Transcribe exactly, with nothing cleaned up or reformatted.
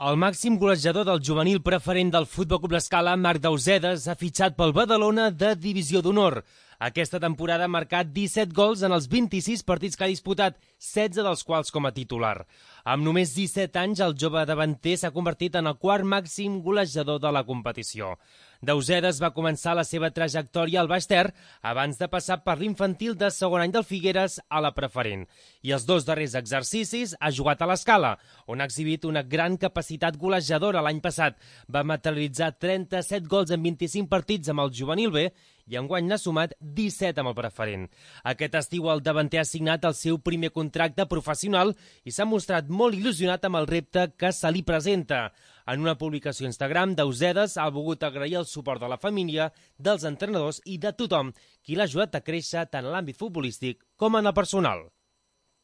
El màxim golejador del juvenil preferent del Futbol Club L'Escala, Marc Dausedas, ha fitxat pel Badalona de Divisió d'Honor. Aquesta temporada ha marcat disset gols en els vint-i-sis partits que ha disputat, setze dels quals com a titular. Amb només disset anys, el jove davanter s'ha convertit en el quart màxim golejador de la competició. Dausedas va començar la seva trajectòria al Baix Ter abans de passar per l'infantil de segon any del Figueres a la preferent. I els dos darrers exercicis ha jugat a l'Escala, on ha exhibit una gran capacitat golejadora l'any passat. Va materialitzar trenta-set gols en vint-i-cinc partits amb el juvenil B i enguany n'ha sumat disset amb el preferent. Aquest estiu el davanter ha signat el seu primer contracte professional i s'ha mostrat molt il·lusionat amb el repte que se li presenta. En una publicació a Instagram, Dausedas ha volgut agrair el suport de la família, dels entrenadors i de tothom qui l'ha ajudat a créixer tant en l'àmbit futbolístic com en el personal.